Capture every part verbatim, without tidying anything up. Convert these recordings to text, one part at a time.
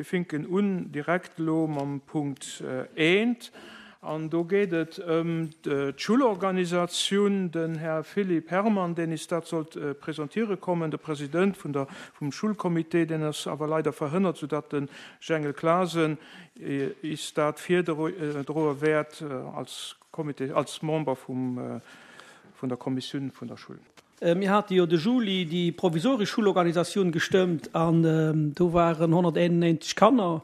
Mir finken un direkt elo mam Punkt eent. An do geet et ëm d'Schullorganisatioun. Den Här Philippe Herrmann, deen is dat sollt presentiere kommen, de President vun der, vum Schulcomité, deen ass awer leider verhënnert, soudatt de Jengel Clasen is dat virdroe wäert als Comité, als Member vum, vun der Kommissioun vun der Schull. Mir hate jo de Juli déi provisoresch Schullorganisatioun gestëmmt an do waren honnerteenennéinzeg Kanner.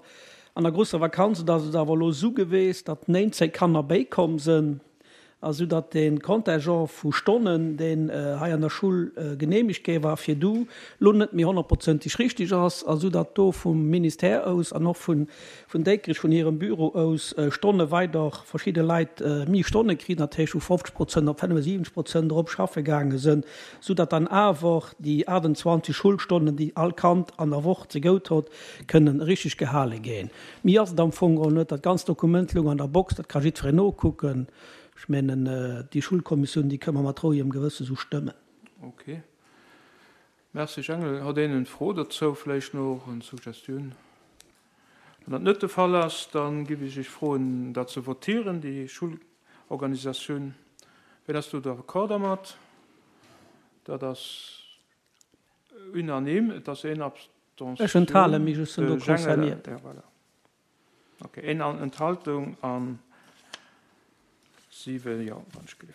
An der grousser Vakanz et ass et awer elo esou geweest, datt néinzéng Kanner béikomm sënn, a sou datt dee Contingent vu Stonnen, deen hei an der Schull genehmegt géi war virdu, lo net méi honnertprozenteg richtig ass, a sou datt do vum Ministère aus an och vun Déikrech, vun hirem Büro aus, Stonne weider verschidde Leit méi Stonne kritt, dat heescht vu fofzeg Prozent op fënnefensiwwenzeg Prozent erop schaffe gaange sënn, sou datt dann awer déi aachtundzwanzeg Schulstonnen, déi all Kand an der Woch zegout hott, kënnen richtig gehale ginn. Méi ass et am Fong geholl net. Dat ganzt Dokument loung an der Box, dat ka jiddwereen nokucken. Ech mengen, déi Schulkommissioun, déi kënne mer mat rouegem Gewësse sou stëmmen. Ok. Merci Jangel. Hott een en Fro dozou, vläicht nach en Suggestioun? Wann dat net de Fall ass, dann giff ech iech froen, dat ze votieren, déi Schulorganisatioun. Wien ass do d'accord dermat? Dat ass unanime. Et ass een Abstention. Ech enthale mech, ech sinn do concernéiert. Ja, voilà. Ok, een Enthaltung an siwe Jo, wann ech gelift.